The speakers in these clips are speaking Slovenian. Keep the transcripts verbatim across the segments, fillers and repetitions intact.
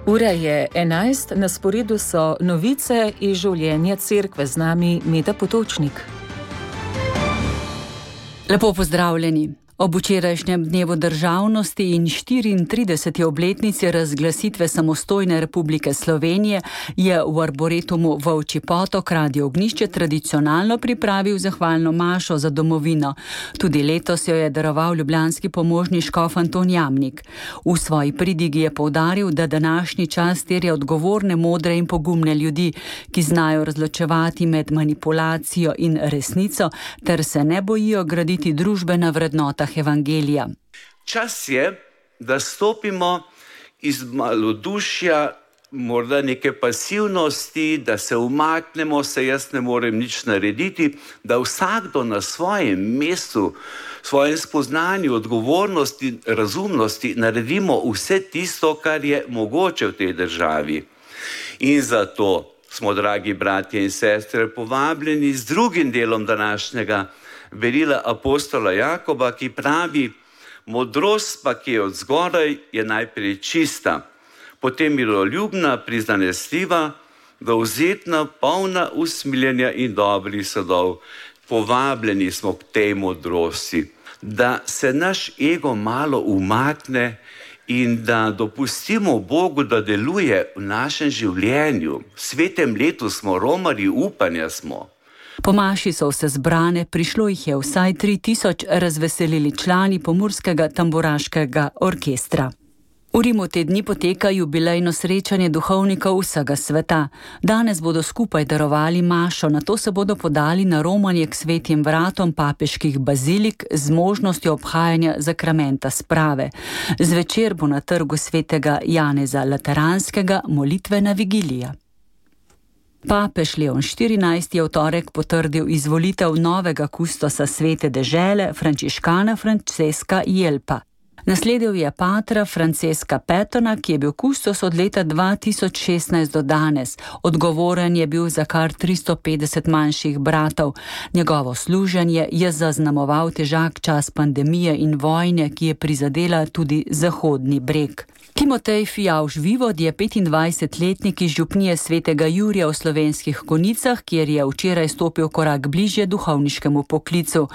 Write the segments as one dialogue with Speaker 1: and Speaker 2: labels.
Speaker 1: Ura je enajst, na sporedu so novice iz življenja cerkve, z nami Meta Potočnik.
Speaker 2: Lepo pozdravljeni. Ob včerajšnjem dnevu državnosti in štiriintrideseti obletnici razglasitve samostojne Republike Slovenije je v Arboretumu Volčji Potok Radio Ognjišče tradicionalno pripravil zahvalno mašo za domovino. Tudi letos jo je daroval ljubljanski pomožni škof Anton Jamnik. V svoji pridigi je poudaril, da današnji čas terja odgovorne, modre in pogumne ljudi, ki znajo razločevati med manipulacijo in resnico, ter se ne bojijo graditi družbe na vrednotah evangelija.
Speaker 3: Čas je, da stopimo iz malodušja, morda neke pasivnosti, da se umaknemo, se jaz ne morem nič narediti, da vsakdo na svojem mestu, svojem spoznanju, odgovornosti, razumnosti naredimo vse tisto, kar je mogoče v tej državi. In zato smo, dragi bratje in sestre, povabljeni z drugim delom današnjega verila apostola Jakoba, ki pravi: modrost pa, ki je od zgoraj, je najprej čista, potem miroljubna, prizanesljiva, dovzetna, polna usmiljenja in dobrih sadov. Povabljeni smo k tej modrosti, da se naš ego malo umakne in da dopustimo Bogu, da deluje v našem življenju. V svetem letu smo, romarji upanja smo.
Speaker 2: Po maši so vse zbrane, prišlo jih je vsaj tri tisoč, razveselili člani pomurskega tamburaškega orkestra. V Rimu te dni poteka jubilejno srečanje duhovnikov vsega sveta. Danes bodo skupaj darovali mašo, nato se bodo podali na romanje k svetim vratom papeških bazilik z možnostjo obhajanja zakramenta sprave. Zvečer bo na trgu svetega Janeza Lateranskega molitvena vigilija. Papež Leon štirinajsti je v torek potrdil izvolitev novega kustosa svete dežele, frančiškana Francesca Jelpa. Nasledil je patra Francesca Petona, ki je bil kustos od leta dva tisoč šestnajst do danes. Odgovoren je bil za kar tristo petdeset manjših bratov. Njegovo služenje je zaznamoval težak čas pandemije in vojne, ki je prizadela tudi Zahodni breg. Timotej Fijavž Vivod je petindvajsetletnik iz župnije svetega Jurija v Slovenskih Konjicah, kjer je včeraj stopil korak bližje duhovniškemu poklicu.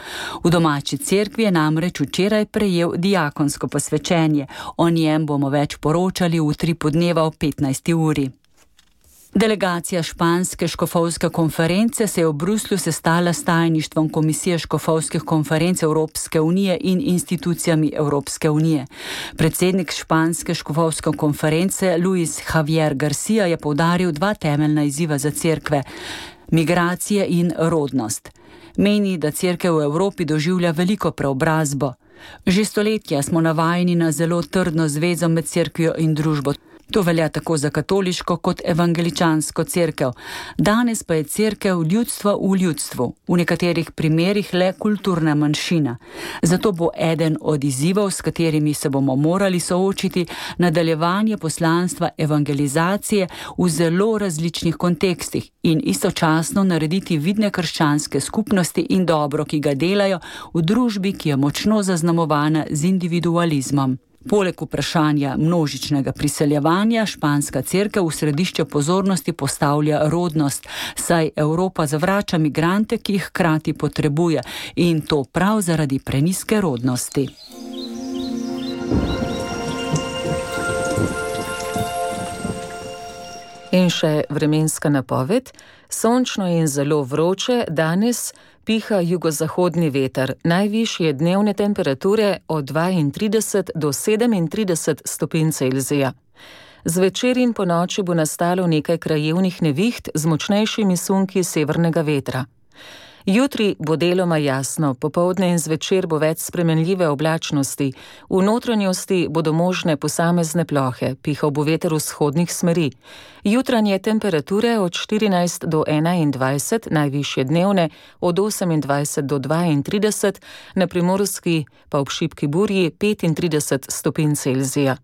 Speaker 2: V domači cerkvi je namreč včeraj prejel diakonsko posvečenje. O njem bomo več poročali v utripu dneva ob petnajsti uri. Delegacija španske škofovske konference se je v Bruslju sestala s tajništvom Komisije škofovskih konferenc Evropske unije in institucijami Evropske unije. Predsednik španske škofovske konference Luis Javier Garcia je poudaril dva temeljna izziva za cerkve: migracije in rodnost. Meni, da cerkev v Evropi doživlja veliko preobrazbo. Že stoletja smo navajeni na zelo trdno zvezo med cerkvijo in družbo. To velja tako za katoliško kot evangeličansko cerkev. Danes pa je cerkev ljudstvo v ljudstvu, v nekaterih primerih le kulturna manjšina. Zato bo eden od izzivov, s katerimi se bomo morali soočiti, nadaljevanje poslanstva evangelizacije v zelo različnih kontekstih in istočasno narediti vidne krščanske skupnosti in dobro, ki ga delajo v družbi, ki je močno zaznamovana z individualizmom. Poleg vprašanja množičnega priseljevanja španska cerkev v središče pozornosti postavlja rodnost, saj Evropa zavrača migrante, ki jih hkrati potrebuje, in to prav zaradi prenizke rodnosti.
Speaker 1: In še vremenska napoved. Sončno in zelo vroče, danes piha jugozahodni veter, najvišje dnevne temperature od dvaintrideset do sedemintrideset stopinj Celzija. Zvečer in ponoči bo nastalo nekaj krajevnih neviht z močnejšimi sunki severnega vetra. Jutri bo deloma jasno, popoldne in zvečer bo več spremenljive oblačnosti, v notranjosti bodo možne posamezne plohe, pihal bo veter vzhodnih smeri. Jutranje temperature od štirinajst do enaindvajset, najvišje dnevne od osemindvajset do dvaintrideset, na Primorski pa ob šibki burji petintrideset stopinj Celzija.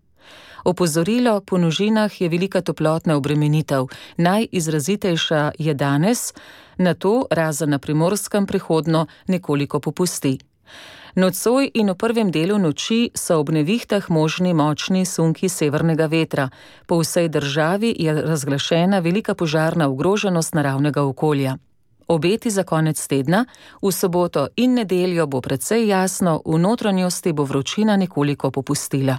Speaker 1: Opozorilo, po nižinah je velika toplotna obremenitev. Najizrazitejša je danes, nato razen na Primorskem prehodno nekoliko popusti. Nocoj in v prvem delu noči so ob nevihtah možni močni sunki severnega vetra. Po vsej državi je razglašena velika požarna ogroženost naravnega okolja. Obeti za konec tedna, v soboto in nedeljo bo precej jasno, v notranjosti bo vročina nekoliko popustila.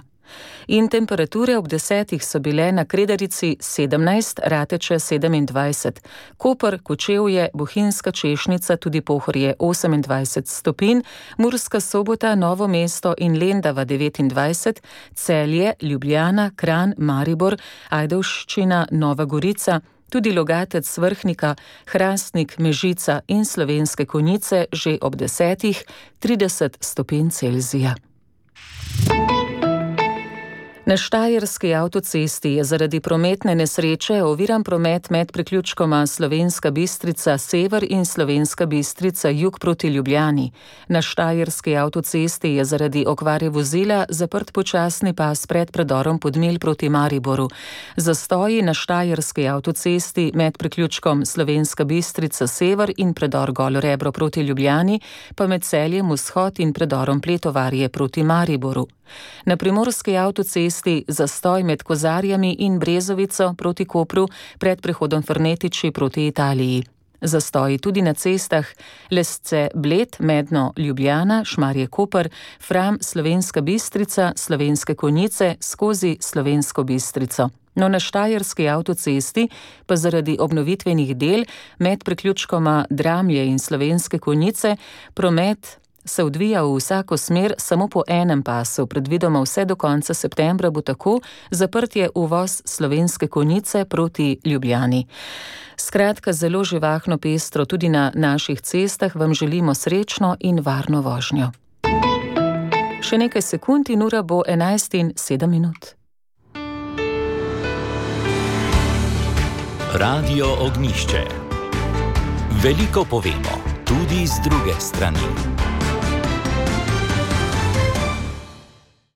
Speaker 1: In temperature ob desetih so bile na Kredarici sedemnajst, Rateče sedemindvajset, Koper, Kočevje, Bohinjska Češnica, tudi Pohorje osemindvajset stopinj, Murska Sobota, Novo mesto in Lendava devetindvajset, Celje, Ljubljana, Kranj, Maribor, Ajdovščina, Nova Gorica, tudi Logatec, Vrhnika, Hrastnik, Mežica in Slovenske Konjice že ob desetih, trideset stopinj Celzija. Na Štajerski avtocesti je zaradi prometne nesreče oviran promet med priključkoma Slovenska Bistrica sever in Slovenska Bistrica jug proti Ljubljani. Na Štajerski avtocesti je zaradi okvare vozila zaprt počasni pas pred predorom Podmilj proti Mariboru. Zastoji na Štajerski avtocesti med priključkom Slovenska Bistrica sever in predor Golo Rebro proti Ljubljani, pa med Celjem Vzhod in predorom Pletovarje proti Mariboru. Na Primorski avtocesti zastoj med Kozarjami in Brezovico proti Kopru pred prehodom Fernetiči proti Italiji. Zastoji tudi na cestah Lesce Bled, Medno Ljubljana, Šmarje Koper, Fram, Slovenska Bistrica, Slovenske Konjice skozi Slovensko Bistrico. No, na Štajerski avtocesti pa zaradi obnovitvenih del med priključkoma Dramlje in Slovenske Konjice promet se odvija v vsako smer samo po enem pasu. Predvidoma vse do konca septembra bo tako, zaprt je uvoz Slovenske Konjice proti Ljubljani. Skratka, zelo živahno pestro tudi na naših cestah vam želimo srečno in varno vožnjo. Še nekaj sekund in ura bo enajst in sedem minut.
Speaker 4: Radio Ognjišče. Veliko povemo, tudi z druge strani.